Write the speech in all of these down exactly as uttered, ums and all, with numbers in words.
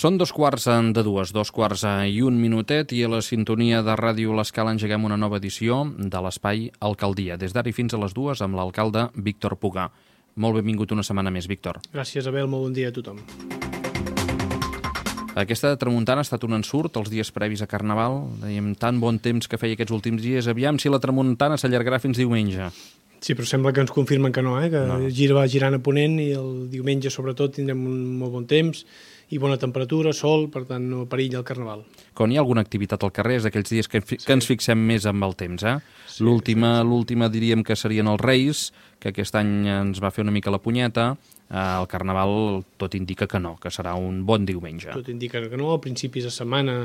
Són dos quarts de dues, dos quarts i un minutet, i a la sintonia de Ràdio L'Escala engeguem una nova edició de l'Espai Alcaldia, des d'ara i fins a les dues amb l'alcalde Víctor Pugà. Molt benvingut una setmana més, Víctor. Gràcies, Abel, molt bon dia a tothom. Aquesta tramuntana ha estat un ensurt els dies previs a Carnaval. Dèiem tan bon temps que feia aquests últims dies, aviam si la tramuntana s'allargarà fins diumenge. Sí, però sembla que ens confirmen que no, eh? que no. Gira va girant a ponent i el diumenge sobretot tindrem un molt bon temps i bona temperatura, sol, per tant no perilla el Carnaval. Quan hi ha alguna activitat al carrer és d'aquells dies que, sí. que ens fixem més amb el temps. Eh? Sí, l'última, sí, sí. l'última diríem que serien els Reis, que aquest any ens va fer una mica la punyeta. El Carnaval tot indica que no, que serà un bon diumenge. Tot indica que no, a principis de setmana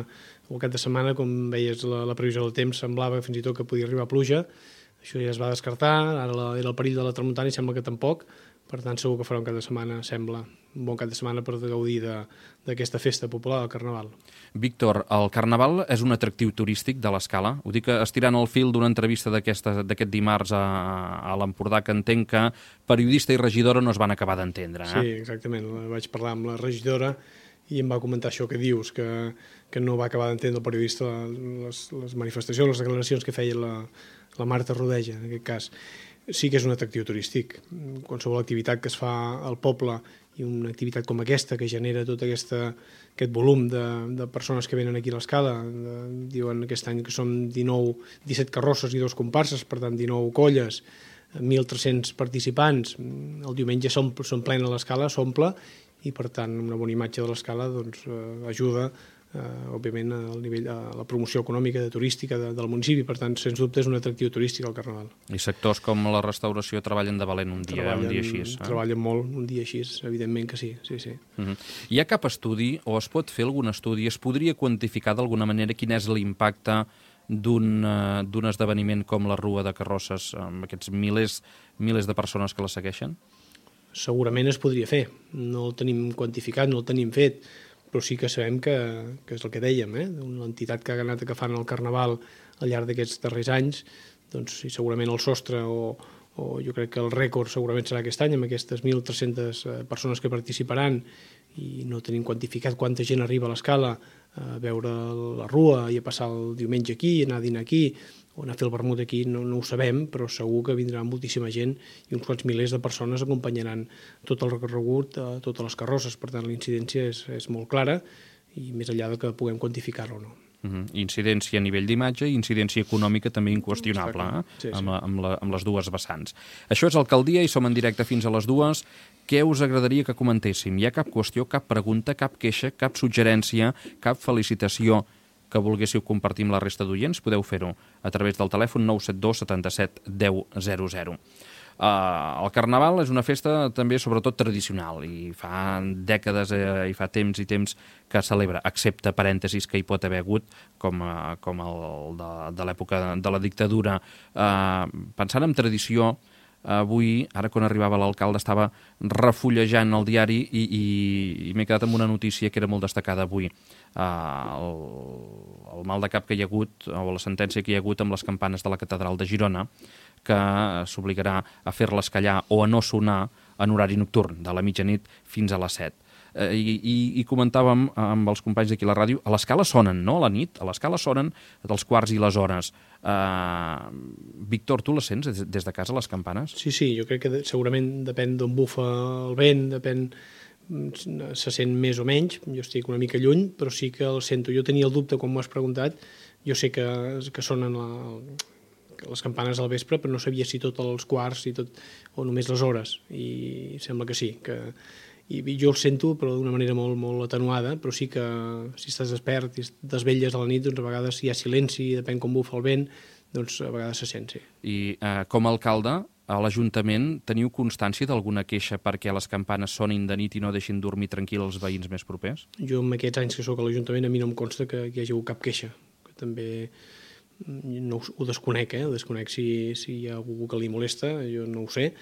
o cap de setmana, com veies la, la previsió del temps, semblava fins i tot que podia arribar pluja. Això ja es va descartar, ara la, era el perill de la tramuntana i sembla que tampoc. Per tant, segur que farà un cap de setmana, sembla, un bon cap de setmana per gaudir d'aquesta festa popular del Carnaval. Víctor, el Carnaval és un atractiu turístic de l'Escala? Ho dic estirant el fil d'una entrevista d'aquest dimarts a, a l'Empordà, que entenc que periodista i regidora no es van acabar d'entendre. Eh? Sí, exactament. Vaig parlar amb la regidora i em va comentar això que dius, que, que no va acabar d'entendre el periodista les, les manifestacions, les declaracions que feia la, la Marta Rodeja, en aquest cas. Sí que és un atractiu turístic. Qualsevol activitat que es fa al poble i una activitat com aquesta que genera tot aquesta, aquest volum de, de persones que venen aquí a l'Escala, diuen aquest any que som dinou, disset carrosses i dos comparses, per tant dinou colles, mil tres-cents participants, el diumenge som, som plena l'Escala, s'omple, i per tant una bona imatge de l'Escala doncs, eh, ajuda Uh, òbviament al nivell de la promoció econòmica, de turística de, del municipi, per tant, sens dubte és un atractiu turístic al Carnaval. I sectors com la restauració treballen de valent un dia, treballen, un dia així. Eh? Treballen molt un dia així, evidentment que sí. sí, sí. Uh-huh. Hi ha cap estudi, o es pot fer algun estudi, es podria quantificar d'alguna manera quin és l'impacte d'un uh, esdeveniment com la Rua de Carrosses, amb aquests milers, milers de persones que la segueixen? Segurament es podria fer. No el tenim quantificat, no el tenim fet, però sí que sabem que, que és el que dèiem, eh? Una entitat que ha anat agafant el Carnaval al llarg d'aquests darrers anys, doncs sí, segurament el sostre o, o jo crec que el rècord segurament serà aquest any, amb aquestes mil tres-centes persones que participaran, i no tenim quantificat quanta gent arriba a l'Escala a veure la Rua i a passar el diumenge aquí, anar a dinar aquí, o anar a fer el vermut aquí, no, no ho sabem, però segur que vindrà moltíssima gent i uns quants milers de persones acompanyaran tot el recorregut, a totes les carrosses. Per tant, la incidència és, és molt clara i més enllà de que puguem quantificar-ho o no. Uh-huh. Incidència a nivell d'imatge i incidència econòmica també inqüestionable, eh? sí, sí. Amb, la, amb, la, amb les dues vessants. Això és Alcaldia i som en directe fins a les dues. Què us agradaria que comentéssim? Hi ha cap qüestió, cap pregunta, cap queixa, cap suggerència, cap felicitació que volguéssiu compartir amb la resta d'oients? Podeu fer-ho a través del telèfon nou set dos setanta-set deu zero zero. Uh, el Carnaval és una festa també sobretot tradicional i fa dècades eh, i fa temps i temps que celebra, excepte parèntesis que hi pot haver hagut com, uh, com el de, de l'època de la dictadura. Uh, pensant en tradició, avui, ara quan arribava l'alcalde, estava refullejant el diari i, i, i m'he quedat amb una notícia que era molt destacada avui. Uh, el, el mal de cap que hi ha hagut, o la sentència que hi ha hagut amb les campanes de la catedral de Girona, que s'obligarà a fer-les callar o a no sonar en horari nocturn, de la mitjanit fins a les set. Uh, i, i, I comentàvem amb els companys d'aquí a la ràdio, a l'Escala sonen, no?, a la nit, a l'Escala sonen dels quarts i les hores. Uh, Víctor, tu les sents des de casa, les campanes? Sí, sí, jo crec que segurament depèn d'on bufa el vent, depèn, se sent més o menys, jo estic una mica lluny, però sí que el sento. Jo tenia el dubte quan m'ho has preguntat, jo sé que, que sonen la, les campanes al vespre, però no sabia si tot els quarts i tot, o només les hores, i sembla que sí, que i jo el sento, però d'una manera molt, molt atenuada, però sí que si estàs despert i desvelles a la nit, doncs a vegades hi ha silenci, depèn com bufa el vent, doncs a vegades se sent, sí. I eh, com a alcalde, a l'Ajuntament teniu constància d'alguna queixa perquè les campanes sonin de nit i no deixin dormir tranquil els veïns més propers? Jo, en aquests anys que sóc a l'Ajuntament, a mi no em consta que hi hagi hagut cap queixa, que també no ho desconec, eh? Ho desconec si, si hi ha algú que li molesta, jo no ho sé,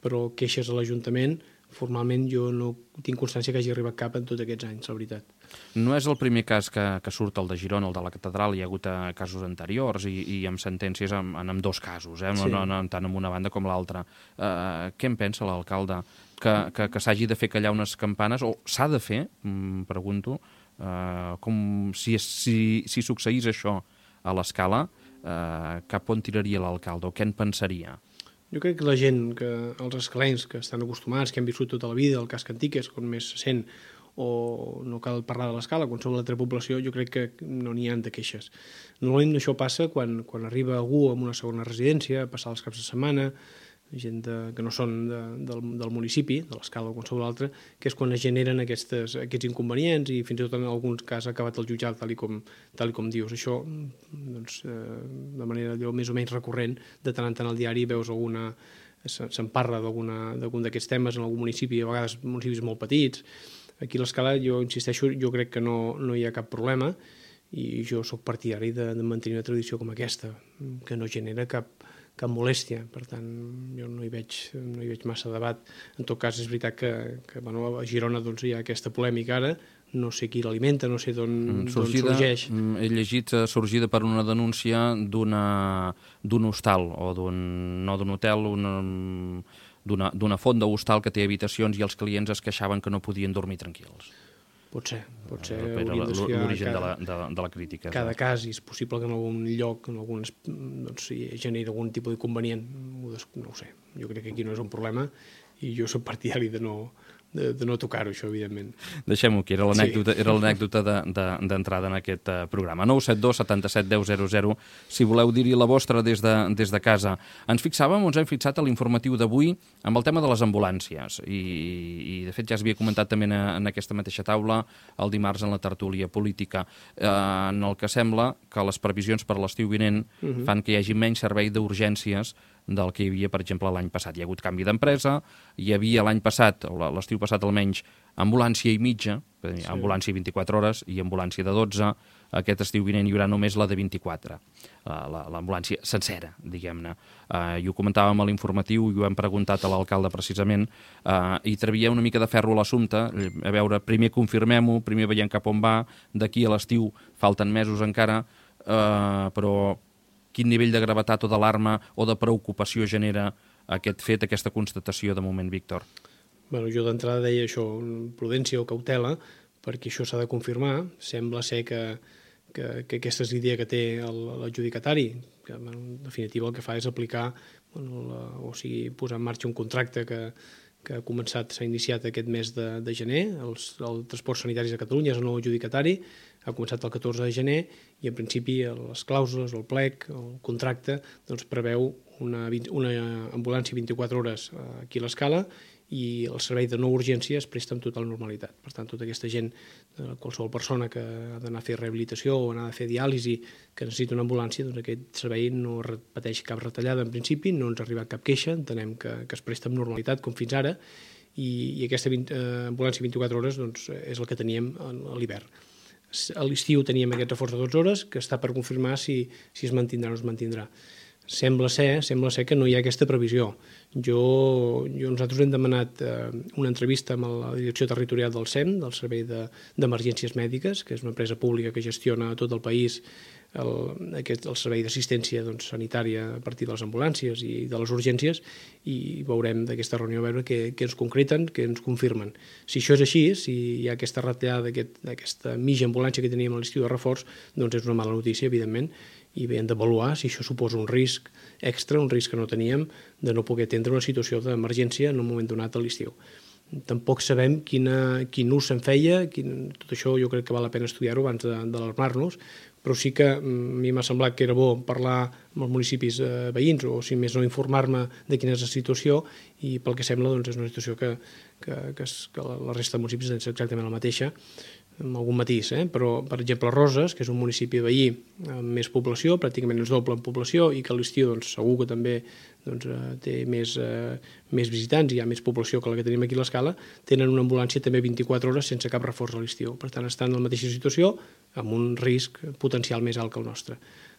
però queixes a l'Ajuntament, formalment jo no tinc constància que hagi arribat cap en tots aquests anys, la veritat. No és el primer cas que, que surt el de Girona, el de la catedral, hi ha hagut casos anteriors i, i amb sentències en, en dos casos, eh? no, Sí. no, no, tant en una banda com l'altra. Uh, què en pensa l'alcalde? Que, que, que s'hagi de fer callar unes campanes, o s'ha de fer, mm, pregunto, Uh, com si, si, si succeís això a l'Escala, uh, cap on tiraria l'alcalde o què en pensaria? Jo crec que la gent, que els escalencs que estan acostumats, que han viscut tota la vida, el casc antic és com més se sent, o no cal parlar de l'Escala, qualsevol altra població, jo crec que no n'hi ha de queixes. Normalment això passa quan, quan arriba algú amb una segona residència, a passar els caps de setmana, gent de, que no són de, del, del municipi, de l'Escala o qualsevol altre, que és quan es generen aquestes, aquests inconvenients i fins i tot en alguns casos ha acabat el jutjat, tal i com, tal i com dius. Això, doncs, eh, de manera allò, més o menys recurrent, de tant en tant al diari veus alguna, se'n parla d'algun d'aquests temes en algun municipi, a vegades municipis molt petits. Aquí a l'Escala, jo insisteixo, jo crec que no, no hi ha cap problema i jo sóc partidari de, de mantenir una tradició com aquesta, que no genera cap cap molèstia, per tant jo no hi veig, no hi veig massa debat. En tot cas és veritat que, que bueno, a Girona doncs, hi ha aquesta polèmica ara, no sé qui l'alimenta, no sé d'on sorgeix. He llegit sorgida per una denúncia d'un hostal o d'un, no d'un hotel, d'una font d'hostal que té habitacions i els clients es queixaven que no podien dormir tranquils. Pot ser, pot ser. L'origen de, la, de, de la crítica. Cada eh? cas, i és possible que en algun lloc, en algun, doncs, si generi algun tipus d'inconvenient, no ho sé. Jo crec que aquí no és un problema i jo soc partidari de no, de, de no tocar-ho, això, evidentment. Deixem-ho aquí, era l'anècdota sí. d'entrada de, de, en aquest uh, programa. nou set dos setanta-set deu zero zero, si voleu dir-hi la vostra des de, des de casa. Ens fixàvem, ens hem fixat a l'informatiu d'avui amb el tema de les ambulàncies i, i de fet ja es havia comentat també en, en aquesta mateixa taula el dimarts en la tertúlia política, eh, en el que sembla que les previsions per l'estiu vinent uh-huh. fan que hi hagi menys servei d'urgències del que hi havia, per exemple, l'any passat. Hi ha hagut canvi d'empresa, hi havia l'any passat, o l'estiu passat almenys, ambulància i mitja, sí. ambulància vint-i-quatre hores i ambulància de dotze. Aquest estiu vinent hi haurà només la de vint-i-quatre, l'ambulància sencera, diguem-ne. Uh, I ho comentàvem a l'informatiu i ho hem preguntat a l'alcalde precisament, uh, i trebia una mica de ferro a l'assumpte, a veure, primer confirmem-ho, primer veiem cap on va, d'aquí a l'estiu falten mesos encara, uh, però quin nivell de gravetat o d'alarma o de preocupació genera aquest fet, aquesta constatació de moment, Víctor? Bueno, jo d'entrada deia això, prudència o cautela, perquè això s'ha de confirmar. Sembla ser que, que, que aquesta és l'idea que té l'adjudicatari, que en definitiva el que fa és aplicar, bueno, la, o sigui, posar en marxa un contracte que, que ha començat, s'ha iniciat aquest mes de, de gener. Els, el Transports Sanitaris de Catalunya és el nou adjudicatari, ha començat el catorze de gener i en principi les clàusules, el plec, el contracte, doncs preveu una, una ambulància vint-i-quatre hores aquí a l'Escala i el servei de no urgència es presta amb total normalitat. Per tant, tota aquesta gent, qualsevol persona que ha d'anar a fer rehabilitació o anar a fer diàlisi, que necessita una ambulància, doncs aquest servei no pateix cap retallada en principi, no ens ha arribat cap queixa, entenem que, que es presta amb normalitat com fins ara i, i aquesta vint, eh, ambulància vint-i-quatre hores doncs, és el que teníem a l'hivern. A l'estiu teníem aquest reforç de dotze hores que està per confirmar si, si es mantindrà o no es mantindrà. Sembla ser, sembla ser que no hi ha aquesta previsió. Jo, jo nosaltres hem demanat eh, una entrevista amb la direcció territorial del S E M, del Servei d'Emergències de, Mèdiques, que és una empresa pública que gestiona a tot el país el, aquest, el servei d'assistència doncs, sanitària a partir de les ambulàncies i de les urgències, i veurem d'aquesta reunió a veure què, què ens concreten, què ens confirmen. Si això és així, si hi ha aquesta retallada d'aquesta mitja ambulància que teníem a l'estiu de reforç, doncs és una mala notícia, evidentment, i bé, hem d'avaluar si això suposa un risc extra, un risc que no teníem, de no poder atendre una situació d'emergència en un moment donat a l'estiu. Tampoc sabem quina, quin ús se'n feia, quin, tot això jo crec que val la pena estudiar-ho abans d'alarmar-nos, però sí que a mi m'ha semblat que era bo parlar amb els municipis eh, veïns, o si més no informar-me de quina és la situació, i pel que sembla doncs, és una situació que, que, que, es, que la resta de municipis és exactament la mateixa, amb algun matís, eh? Però, per exemple, Roses, que és un municipi veí amb més població, pràcticament és doble en població, i que a l'estiu doncs, segur que també doncs, eh, té més, eh, més visitants, hi ha més població que la que tenim aquí a l'Escala, tenen una ambulància també vint-i-quatre hores sense cap reforç a l'estiu. Per tant, estan en la mateixa situació, amb un risc potencial més alt que el nostre.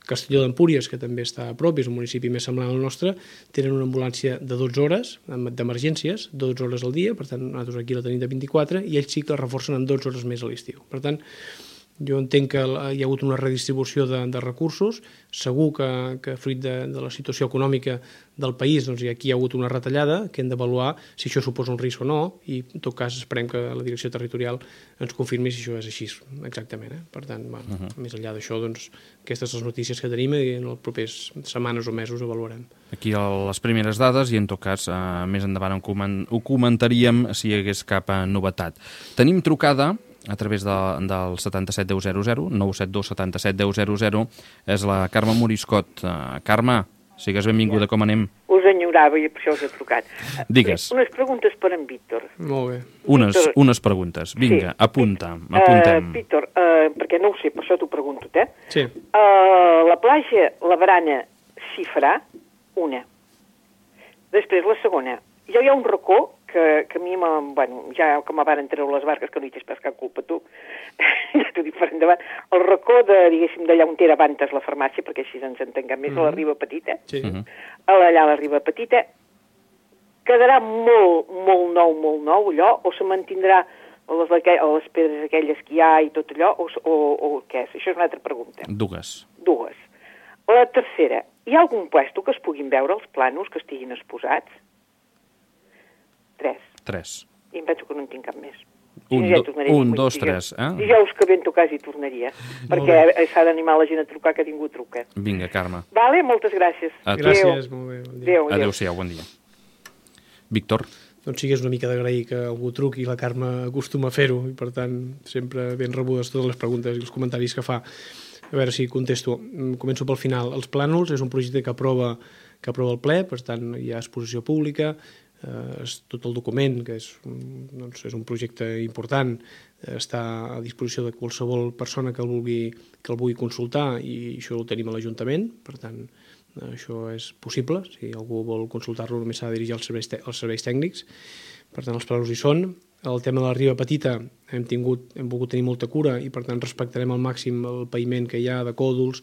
Castelló d'Empúries, que també està a prop, és un municipi més semblant al nostre, tenen una ambulància de dotze hores d'emergències, dotze hores al dia, per tant, nosaltres aquí la tenim de vint-i-quatre, i ells sí que la reforcen en dotze hores més a l'estiu. Per tant, Jo entenc que hi ha hagut una redistribució de, de recursos, segur que, que fruit de, de la situació econòmica del país, doncs aquí hi ha hagut una retallada que hem d'avaluar si això suposa un risc o no, i en tot cas esperem que la direcció territorial ens confirmi si això és així exactament. Eh? Per tant, bueno, uh -huh. més enllà d'això, doncs, aquestes són les notícies que tenim i en les properes setmanes o mesos avaluarem. Aquí les primeres dades i en tot cas eh, més endavant ho comentaríem si hi hagués cap novetat. Tenim trucada a través de, del setanta-set deu zero zero, nou set dos setanta-set deu zero zero, és la Carme Moriscot. Uh, Carme, sigues benvinguda, com anem? Us enyorava i per això us he trucat. Digues. Unes preguntes per en Víctor. Molt bé. Unes, Víctor, unes preguntes. Vinga, sí. apunta, apuntem. Uh, Víctor, uh, perquè no ho sé, per això t'ho pregunto, eh? Sí. Uh, la platja, la barana, s'hi farà? Una. Després, la segona. Jo hi ha un racó que, que a mi, bueno, ja com van treure les barques, que no hi tens pas cap culpa tu, ja t'ho dic per endavant, el racó de, diguéssim, d'allà on era abans la farmàcia, perquè així ens entenguem més, mm -hmm. a la Riba Petita, sí. uh -huh. allà a la Riba Petita, quedarà molt, molt nou, molt nou allò, o se mantindrà les, les pedres aquelles que hi ha i tot allò, o, o, o què és? Això és una altra pregunta. Dues. Dues. La tercera, hi ha algun puesto que es puguin veure els planos que estiguin exposats? Tres. Tres. I em penso que no en tinc cap més. Un, Si no, ja do, tornaria, un vull dos, dir, tres. Eh? Dijous que ve en tot cas hi tornaria, perquè s'ha d'animar la gent a trucar, que ningú truca. Vinga, Carme. Vale, moltes gràcies. A tu. Gràcies, molt bé. Bon dia. Adéu, adéu. Adéu-siau, bon dia. Víctor? Doncs sí que és una mica d'agrair que algú truqui, la Carme acostuma a fer-ho, i per tant sempre ben rebudes totes les preguntes i els comentaris que fa. A veure si contesto. Començo pel final. Els plànols és un projecte que aprova, que aprova el ple, per tant hi ha exposició pública, eh, és tot el document, que és, doncs, és un projecte important, eh, està a disposició de qualsevol persona que el vulgui, que el vulgui consultar, i això ho tenim a l'Ajuntament, per tant això és possible. Si algú vol consultar-lo només s'ha de dirigir als serveis, als serveis tècnics. Per tant, els plànols hi són. El tema de la Riba Petita hem, tingut, hem volgut tenir molta cura i per tant respectarem al màxim el paviment que hi ha de còdols.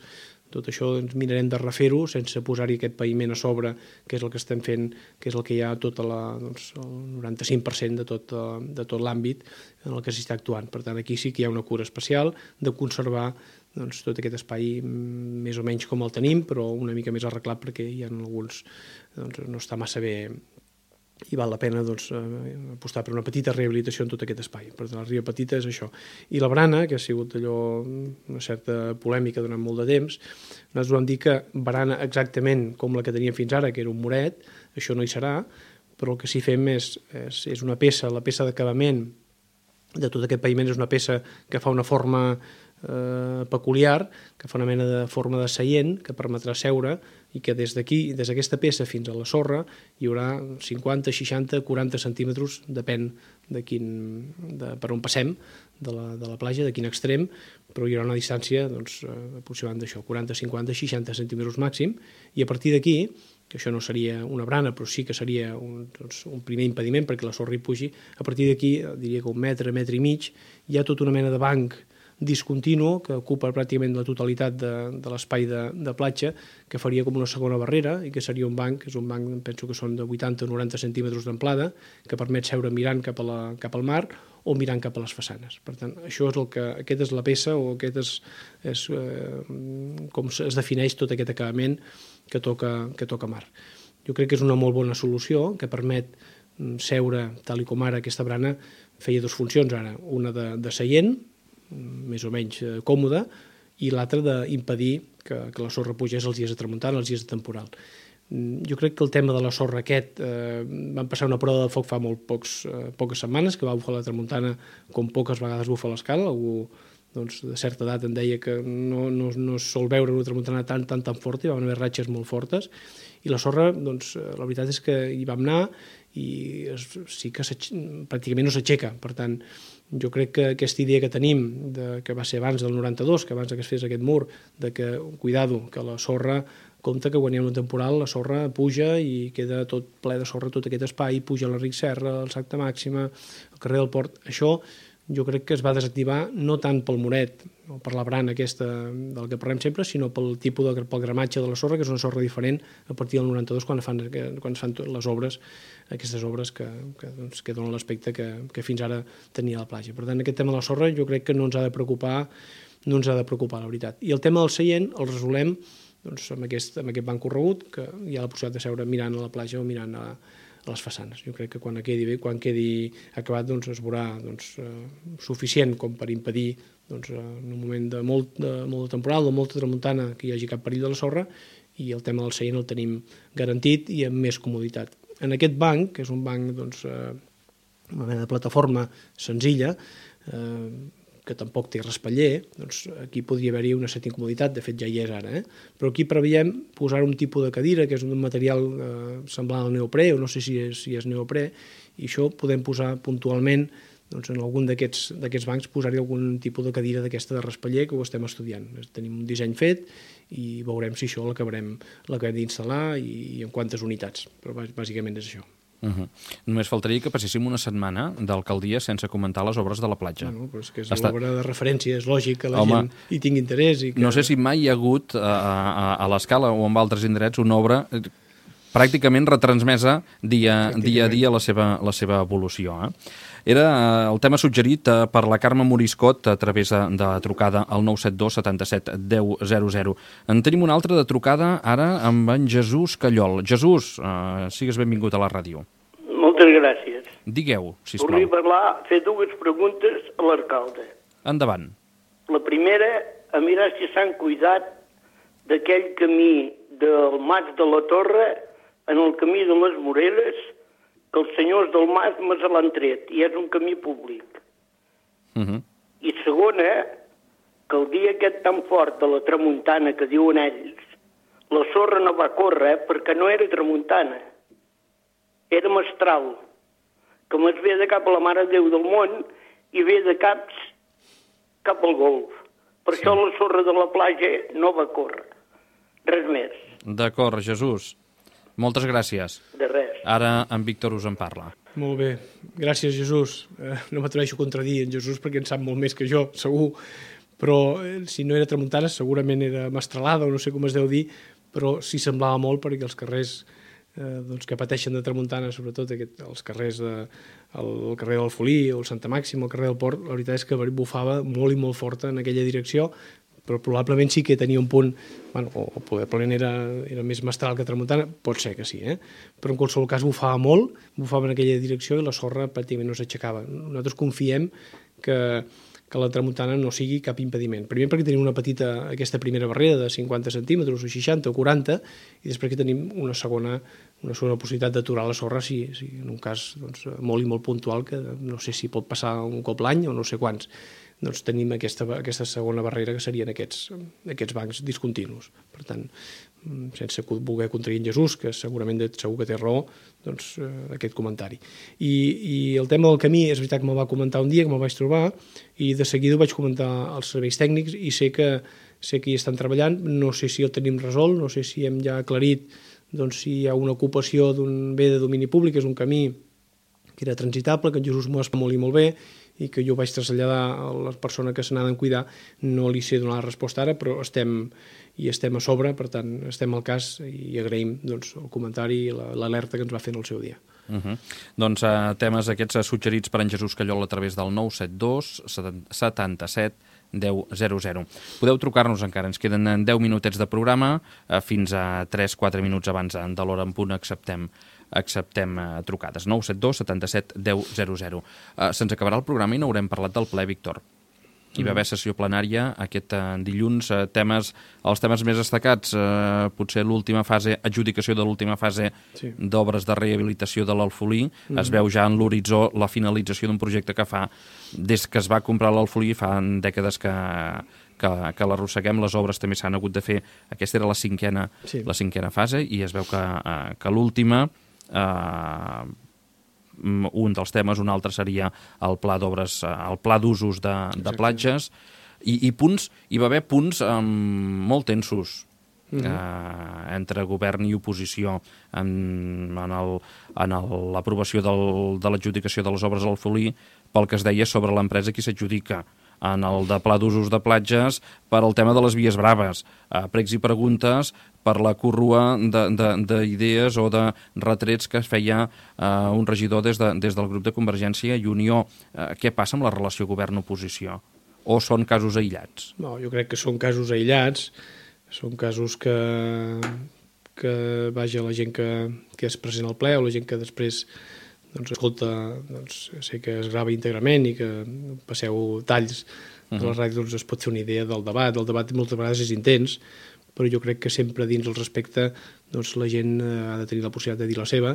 Tot això doncs, mirarem de refer-ho sense posar-hi aquest paviment a sobre, que és el que estem fent, que és el que hi ha tot la, doncs, el noranta-cinc per cent de tot, de tot l'àmbit en el que s'està actuant. Per tant, aquí sí que hi ha una cura especial de conservar doncs, tot aquest espai més o menys com el tenim, però una mica més arreglat perquè hi ha alguns, doncs, no està massa bé i val la pena doncs, apostar per una petita rehabilitació en tot aquest espai. Per tant, la Riba Petita és això. I la barana, que ha sigut allò una certa polèmica durant molt de temps, nosaltres vam dir que barana exactament com la que teníem fins ara, que era un muret, això no hi serà, però el que sí fem és, és, és una peça, la peça d'acabament de tot aquest paviment és una peça que fa una forma eh, peculiar, que fa una mena de forma de seient que permetrà seure i que des d'aquí, des d'aquesta peça fins a la sorra hi haurà cinquanta, seixanta, quaranta centímetres, depèn de quin, de, per on passem de la, de la platja, de quin extrem, però hi haurà una distància doncs, aproximant d'això, quaranta, cinquanta, seixanta centímetres màxim, i a partir d'aquí, que això no seria una brana, però sí que seria un, doncs, un primer impediment perquè la sorra hi pugi, a partir d'aquí, diria que un metre, metre i mig, hi ha tota una mena de banc discontinu que ocupa pràcticament la totalitat de, de l'espai de, de platja, que faria com una segona barrera i que seria un banc, que és un banc, penso que són de vuitanta o noranta centímetres d'amplada, que permet seure mirant cap, a la, cap al mar o mirant cap a les façanes. Per tant, això és el que, aquesta és la peça o aquest és, és eh, com es defineix tot aquest acabament que toca, que toca mar. Jo crec que és una molt bona solució que permet seure, tal i com ara aquesta brana feia dues funcions ara, una de, de seient, més o menys eh, còmode, i l'altra d'impedir que, que la sorra pugés els dies de tramuntana, els dies de temporal. Jo crec que el tema de la sorra aquest, eh, van passar una prova de foc fa molt pocs, eh, poques setmanes, que va bufar la tramuntana com poques vegades bufa l'escala. Algú doncs, de certa edat em deia que no, no, no es sol veure una tramuntana tan, tan, tan forta, hi van haver ratxes molt fortes, i la sorra, doncs, la veritat és que hi vam anar i es, sí que pràcticament no s'aixeca. Per tant, jo crec que aquesta idea que tenim, de, que va ser abans del noranta-dos, que abans que es fes aquest mur, de que, cuidado, que la sorra, compte que quan hi ha un temporal la sorra puja i queda tot ple de sorra tot aquest espai, puja l'Enric Serra, el Sacta Màxima, el carrer del Port. Això jo crec que es va desactivar no tant pel muret o per la brana aquesta del que parlem sempre, sinó pel tipus de, pel gramatge de la sorra, que és una sorra diferent a partir del noranta-dos quan, fan, quan es fan les obres, aquestes obres que, que, doncs, que donen l'aspecte que, que fins ara tenia la platja. Per tant, aquest tema de la sorra jo crec que no ens ha de preocupar no ens ha de preocupar, la veritat. I el tema del seient el resolem doncs, amb, aquest, amb aquest banc corregut, que hi ha la possibilitat de seure mirant a la platja o mirant a, a les façanes. Jo crec que quan quedi bé, quan quedi acabat, doncs, es veurà doncs, eh, suficient com per impedir doncs, en un moment de molt de, molt de temporal, de molta tramuntana, que hi hagi cap perill de la sorra, i el tema del seient el tenim garantit i amb més comoditat. En aquest banc, que és un banc doncs, eh, una mena de plataforma senzilla, eh, que tampoc té respatller, doncs aquí podria haver-hi una certa incomoditat, de fet ja hi és ara, eh? Però aquí preveiem posar un tipus de cadira, que és un material eh, semblant al neoprè, o no sé si és, si és neoprè, i això podem posar puntualment doncs, en algun d'aquests bancs posar-hi algun tipus de cadira d'aquesta de respatller, que ho estem estudiant. Tenim un disseny fet i veurem si això l'acabarem d'instal·lar i, i en quantes unitats, però bàsicament és això. Uh -huh. Només faltaria que passéssim una setmana d'alcaldia sense comentar les obres de la platja. Bueno, però és que és Està... l'obra de referència, és lògic que la Home, gent hi tingui interès. I que... No sé si mai hi ha hagut a, a, a l'Escala o en altres indrets una obra pràcticament retransmesa dia, dia a dia la seva, la seva evolució. Eh? Era el tema suggerit per la Carme Moriscot a través de, de la trucada al nou set dos setanta-set deu zero zero. En tenim una altra de trucada ara amb en Jesús Callol. Jesús, eh, sigues benvingut a la ràdio. Moltes gràcies. Digueu, sisplau. Volia parlar, fer dues preguntes a l'alcalde. Endavant. La primera, a mirar si s'han cuidat d'aquell camí del Mas de la Torre en el camí de les Moreres, que els senyors del Mas me se l'han tret, i és un camí públic. Uh -huh. I segona, que el dia aquest tan fort de la tramuntana que diuen ells, la sorra no va córrer perquè no era tramuntana, era mestral, que més ve de cap a la Mare de Déu del Món i ve de caps cap al golf. Per sí. Això la sorra de la platja no va córrer. Res més. D'acord, Jesús. Moltes gràcies. De res. Ara en Víctor us en parla. Molt bé. Gràcies, Jesús. Eh, no m'atreveixo a contradir en Jesús perquè en sap molt més que jo, segur. Però eh, si no era tramuntana segurament era mestralada o no sé com es deu dir, però sí semblava molt perquè els carrers eh, doncs, que pateixen de tramuntana, sobretot aquest, els carrers de, el, el carrer del Folí o el Santa Màxima, el carrer del Port, la veritat és que bufava molt i molt forta en aquella direcció, però probablement sí que tenia un punt, bueno, o probablement era, era més mestral que tramuntana, pot ser que sí, eh? Però en qualsevol cas bufava molt, bufava en aquella direcció i la sorra pràcticament no s'aixecava. Nosaltres confiem que, que la tramuntana no sigui cap impediment. Primer perquè tenim una petita, aquesta primera barrera de cinquanta centímetres o seixanta o quaranta, i després que tenim una segona, una segona possibilitat d'aturar la sorra si, si en un cas doncs, molt i molt puntual, que no sé si pot passar un cop l'any o no sé quants, doncs tenim aquesta, aquesta segona barrera que serien aquests, aquests bancs discontinus. Per tant, sense voler contradir en Jesús, que segurament segur que té raó, doncs eh, aquest comentari. I, I el tema del camí, és veritat que me'l va comentar un dia, que me'l vaig trobar, i de seguida ho vaig comentar als serveis tècnics i sé que, sé que hi estan treballant, no sé si el tenim resolt, no sé si hem ja aclarit doncs, si hi ha una ocupació d'un bé de domini públic, és un camí que era transitable, que en Jesús m'ho explica molt i molt bé, i que jo vaig traslladar a la persona que se n'ha de cuidar, no li sé donar la resposta ara, però estem, i estem a sobre, per tant, estem al cas i agraïm doncs, el comentari i l'alerta que ens va fer en el seu dia. Uh -huh. Doncs uh, temes aquests suggerits per en Jesús Callol a través del nou set dos setanta-set deu zero zero. Podeu trucar-nos encara, ens queden deu minutets de programa, uh, fins a tres quatre minuts abans de l'hora en punt acceptem acceptem uh, trucades. nou set dos setanta-set deu zero zero. Uh, se'ns acabarà el programa i no haurem parlat del ple, Víctor. Hi va haver sessió plenària aquest uh, dilluns, uh, temes, els temes més destacats, uh, potser l'última fase, adjudicació de l'última fase sí. d'obres de rehabilitació de l'Alfolí. Mm. Es veu ja en l'horitzó la finalització d'un projecte que fa, des que es va comprar l'Alfolí, fa dècades que, que, que l'arrosseguem, les obres també s'han hagut de fer. Aquesta era la cinquena, sí. la cinquena fase i es veu que, uh, que l'última... Uh, un dels temes, un altre seria el pla d'obres, el pla d'usos de, de platges, i, i punts, hi va haver punts um, molt tensos uh-huh. eh, entre govern i oposició en, en l'aprovació de l'adjudicació de les obres al Folí pel que es deia sobre l'empresa qui s'adjudica, en el de pla d'usos de platges per al tema de les vies braves, eh, pregs i preguntes per la corrua d'idees o de retrets que es feia eh, un regidor des, de, des del grup de Convergència i Unió. Eh, què passa amb la relació govern-oposició? o són casos aïllats? No, jo crec que són casos aïllats, són casos que, que vaja, la gent que, que és present al ple o la gent que després doncs, escolta, doncs, sé que es grava íntegrament i que passeu talls de la ràdio, doncs es pot fer una idea del debat. El debat moltes vegades és intens, però jo crec que sempre dins el respecte doncs, la gent ha de tenir la possibilitat de dir la seva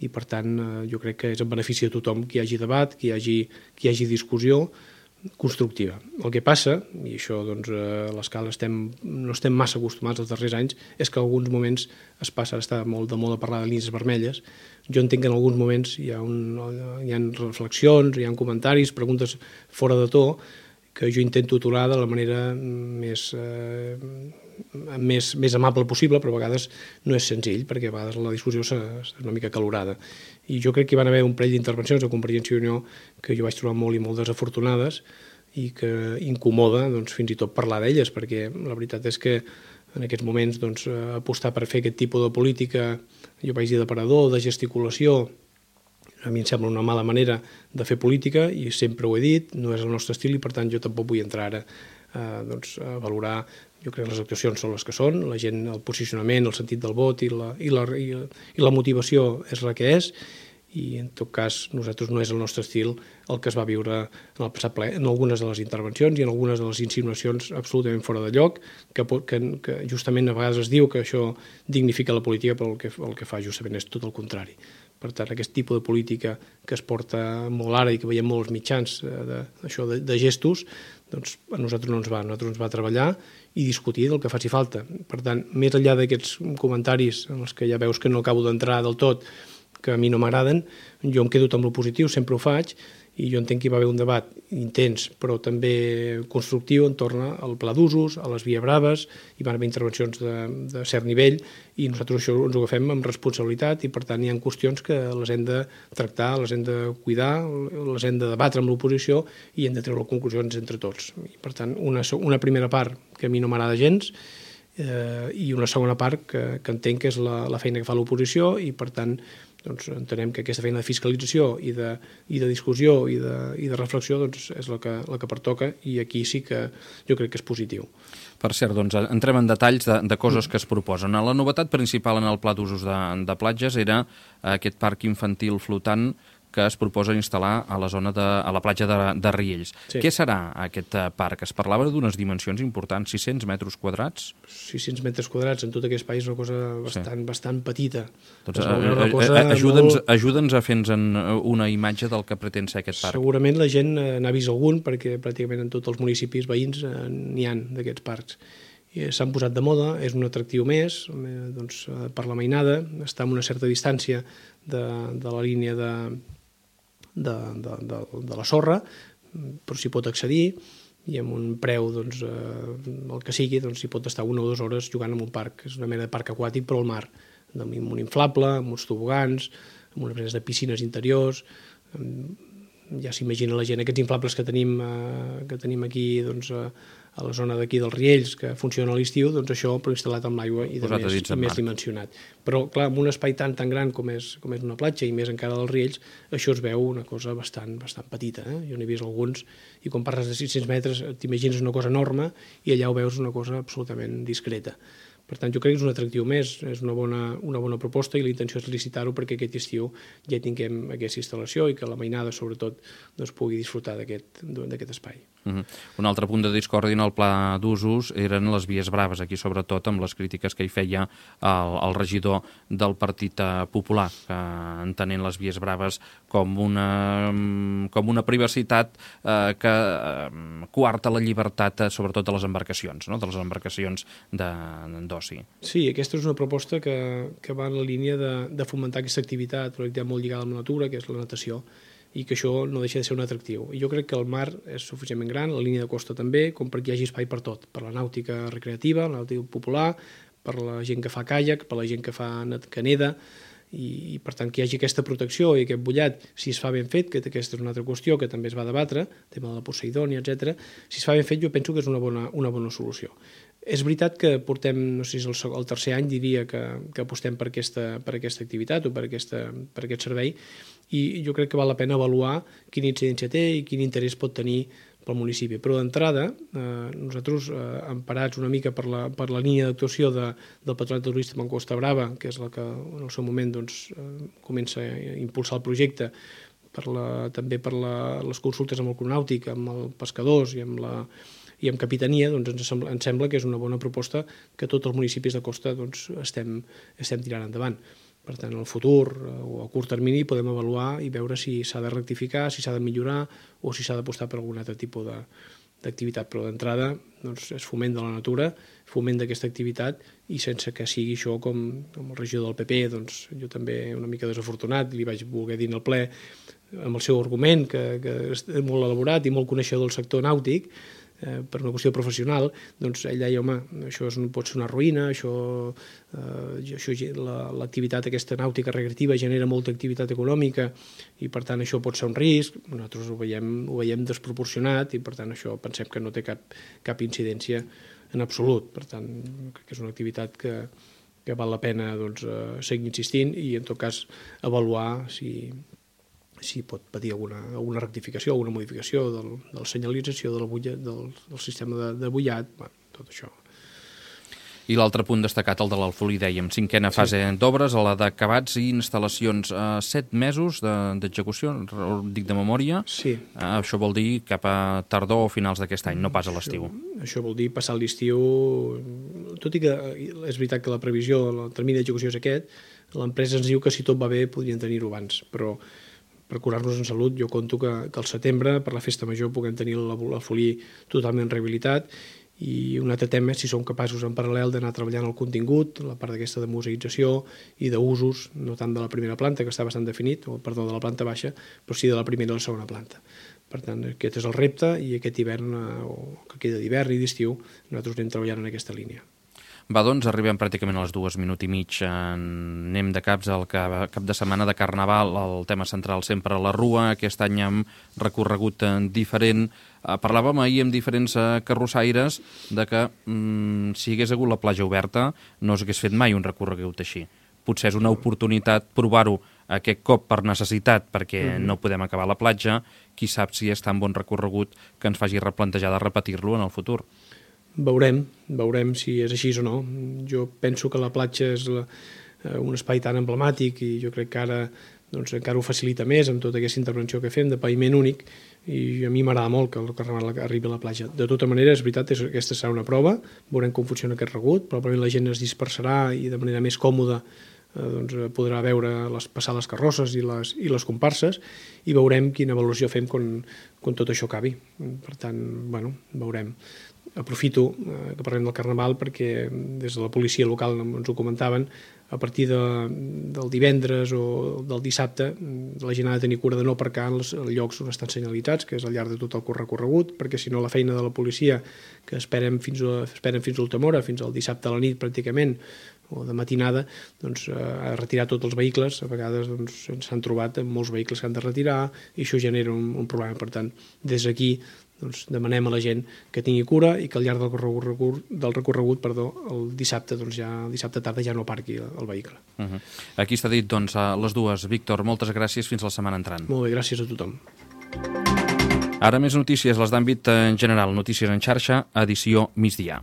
i per tant jo crec que és en benefici de tothom que hi hagi debat, que hi hagi, que hi hagi discussió constructiva. El que passa, i això doncs, a l'escala estem, no estem massa acostumats els darrers anys, és que en alguns moments es passa, està molt de moda parlar de línies vermelles. Jo entenc que en alguns moments hi ha, un, hi ha reflexions, hi ha comentaris, preguntes fora de to, que jo intento aturar de la manera més, eh, més, més amable possible, però a vegades no és senzill, perquè a vegades la discussió és una mica calorada. I jo crec que hi van haver un parell d'intervencions de Convergència i Unió que jo vaig trobar molt i molt desafortunades i que incomoda doncs, fins i tot parlar d'elles, perquè la veritat és que en aquests moments doncs, apostar per fer aquest tipus de política, jo vaig dir d'aparador, de gesticulació, a mi em sembla una mala manera de fer política i sempre ho he dit, no és el nostre estil i per tant jo tampoc vull entrar ara eh, doncs, a valorar. Jo crec que les actuacions són les que són, la gent, el posicionament, el sentit del vot i la, i la, i la, i la motivació és la que és i en tot cas nosaltres no és el nostre estil el que es va viure en el passat ple, en algunes de les intervencions i en algunes de les insinuacions absolutament fora de lloc, que, que, que justament a vegades es diu que això dignifica la política, però el que, el que fa justament és tot el contrari. Per tant, aquest tipus de política que es porta molt ara i que veiem molts mitjans de, això de, de gestos, doncs a nosaltres no ens va, a nosaltres ens va treballar i discutir del que faci falta. Per tant, més enllà d'aquests comentaris en els que ja veus que no acabo d'entrar del tot, que a mi no m'agraden, jo em quedo amb lo positiu, sempre ho faig, i jo entenc que hi va haver un debat intens, però també constructiu entorn al pla d'usos, a les vies braves, hi van haver intervencions de, de cert nivell, i nosaltres això ens ho agafem amb responsabilitat, i per tant hi ha qüestions que les hem de tractar, les hem de cuidar, les hem de debatre amb l'oposició, i hem de treure conclusions entre tots. I per tant, una, una primera part que a mi no m'agrada gens, eh, i una segona part que, que entenc que és la, la feina que fa l'oposició, i per tant doncs entenem que aquesta feina de fiscalització i de, i de discussió i de, i de reflexió doncs, és la que, la que pertoca i aquí sí que jo crec que és positiu. Per cert, doncs, entrem en detalls de, de coses que es proposen. La novetat principal en el pla d'usos de, de platges era aquest parc infantil flotant que es proposa instal·lar a la zona de, a la platja de, de Riells. Sí. Què serà aquest parc? Es parlava d'unes dimensions importants, sis-cents metres quadrats? sis-cents metres quadrats en tot aquest espai és una cosa bastant, sí. bastant petita. Doncs, Ajuda'ns molt... ajuda'ns a fer-nos una imatge del que pretén ser aquest parc. Segurament la gent n'ha vist algun, perquè pràcticament en tots els municipis veïns n'hi ha d'aquests parcs. S'han posat de moda, és un atractiu més doncs, per la mainada, està a una certa distància de, de la línia de De, de, de, de la sorra, però s'hi pot accedir i amb un preu, doncs, eh, el que sigui, doncs s'hi pot estar una o dues hores jugant en un parc. És una mena de parc aquàtic però al mar, amb un inflable, amb uns tobogans, amb unes menes de piscines interiors. Ja s'imagina la gent, aquests inflables que tenim, eh, que tenim aquí doncs, a, a la zona d'aquí dels Riells, que funciona a l'estiu, doncs això però instal·lat amb l'aigua i, de més, i més dimensionat. Però clar, amb un espai tan tan gran com és, com és una platja i més encara dels Riells, això es veu una cosa bastant, bastant petita. Eh? Jo n'he vist alguns i quan parles de sis-cents metres t'imagines una cosa enorme i allà ho veus una cosa absolutament discreta. Per tant, jo crec que és un atractiu més, és una bona, una bona proposta i la intenció és licitar-ho perquè aquest estiu ja tinguem aquesta instal·lació i que la mainada, sobretot, doncs, pugui disfrutar d'aquest espai. Uh-huh. Un altre punt de discòrdia en el pla d'usos eren les vies braves, aquí sobretot amb les crítiques que hi feia el, el regidor del Partit Popular, que entenent les vies braves com una, com una privacitat eh, que eh, coarta la llibertat, eh, sobretot de les embarcacions, no? de les embarcacions d'oci. Sí, aquesta és una proposta que, que va en la línia de, de fomentar aquesta activitat, però activitat molt lligada amb la natura, que és la natació, i que això no deixa de ser un atractiu. I jo crec que el mar és suficientment gran, la línia de costa també, com perquè hi hagi espai per tot, per la nàutica recreativa, la nàutica popular, per la gent que fa caiac, per la gent que fa que neda, i, i per tant que hi hagi aquesta protecció i aquest bullat, si es fa ben fet, que aquesta és una altra qüestió que també es va debatre, el tema de la Poseidònia, etcètera. Si es fa ben fet jo penso que és una bona, una bona solució. És veritat que portem, no sé si és el, el tercer any, diria que, que apostem per aquesta, per aquesta activitat o per, aquesta, per aquest servei, i jo crec que val la pena avaluar quina incidència té i quin interès pot tenir pel municipi. Però d'entrada, eh, nosaltres, eh, emparats una mica per la, per la línia d'actuació de, del Patronat Turístic en Costa Brava, que és la que en el seu moment doncs, eh, comença a impulsar el projecte, per la, també per la, les consultes amb el Club Nàutic, amb els pescadors i amb la i amb Capitania, doncs ens sembla, ens sembla que és una bona proposta que tots els municipis de costa doncs, estem, estem tirant endavant. Per tant, en el futur o a curt termini podem avaluar i veure si s'ha de rectificar, si s'ha de millorar o si s'ha d'apostar per algun altre tipus de, d'activitat. Però d'entrada doncs, és foment de la natura, foment d'aquesta activitat i sense que sigui això com, com el regidor del P P, doncs jo també una mica desafortunat, li vaig voler dir en el ple amb el seu argument, que, que és molt elaborat i molt coneixedor del sector nàutic, eh, per una qüestió professional, doncs ell deia, home, això és, pot ser una ruïna, això, eh, això l'activitat aquesta nàutica recreativa genera molta activitat econòmica i per tant això pot ser un risc, nosaltres ho veiem, ho veiem desproporcionat i per tant això pensem que no té cap, cap incidència en absolut, per tant crec que és una activitat que, que val la pena doncs, eh, seguir insistint i en tot cas avaluar si si pot patir alguna, alguna rectificació, alguna modificació del, de la senyalització, de la bulla, del, del sistema de, de bullat, bueno, tot això. I l'altre punt destacat, el de l'Alfolí, dèiem, cinquena fase sí. d'obres, a la d'acabats i instal·lacions. Uh, set mesos d'execució, de, dic de memòria. Sí. Uh, això vol dir cap a tardor o finals d'aquest any, no pas a l'estiu. Això, això vol dir passar l'estiu, tot i que és veritat que la previsió, el termini d'execució és aquest, l'empresa ens diu que si tot va bé podrien tenir-ho abans, però per curar-nos en salut, jo conto que, que al setembre, per la festa major, puguem tenir l'Alfolí totalment rehabilitat. I un altre tema és si som capaços en paral·lel d'anar treballant el contingut, la part d'aquesta de museïtzació i d'usos, no tant de la primera planta, que està bastant definit, o perdó, de la planta baixa, però sí de la primera i la segona planta. Per tant, aquest és el repte i aquest hivern, o que queda d'hivern i d'estiu, nosaltres anem treballant en aquesta línia. Va, doncs, arribem pràcticament a les dues, minut i mig. Anem de caps al cap de setmana de Carnaval, el tema central sempre a la Rua, aquest any amb recorregut diferent. Parlàvem ahir amb diferents carrossaires de que mm, si hagués hagut la platja oberta no s'hagués fet mai un recorregut així. Potser és una oportunitat provar-ho aquest cop per necessitat, perquè mm-hmm. no podem acabar la platja. Qui sap si és tan bon recorregut que ens faci replantejar de repetir-lo en el futur. Veurem, veurem si és així o no. Jo penso que la platja és la, un espai tan emblemàtic i jo crec que ara doncs, encara ho facilita més amb tota aquesta intervenció que fem de paviment únic i a mi m'agrada molt que el Carnaval arribi a la platja. De tota manera, és veritat, és, aquesta serà una prova, veurem com funciona aquest regut, probablement la gent es dispersarà i de manera més còmoda eh, doncs, podrà veure les, passar les carrosses i les, i les comparses i veurem quina avaluació fem quan, quan tot això acabi. Per tant, bueno, veurem. Aprofito eh, que parlem del Carnaval perquè des de la policia local ens ho comentaven, a partir de, del divendres o del dissabte la gent ha de tenir cura de no aparcar en els llocs on estan senyalitzats, que és al llarg de tot el recorregut, perquè si no la feina de la policia, que esperem fins a, esperen fins a última hora, fins al dissabte a la nit pràcticament, o de matinada, doncs, eh, a retirar tots els vehicles. A vegades doncs, s'han trobat amb molts vehicles que han de retirar i això genera un, un problema. Per tant, des d'aquí doncs, demanem a la gent que tingui cura i que al llarg del recorregut, del recorregut perdó, el dissabte, doncs ja, el dissabte tarda ja no aparqui el vehicle. Uh-huh. Aquí està dit, doncs, a les dues. Víctor, moltes gràcies, fins la setmana entrant. Molt bé, gràcies a tothom. Ara més notícies, les d'àmbit en general. Notícies en xarxa, edició migdia.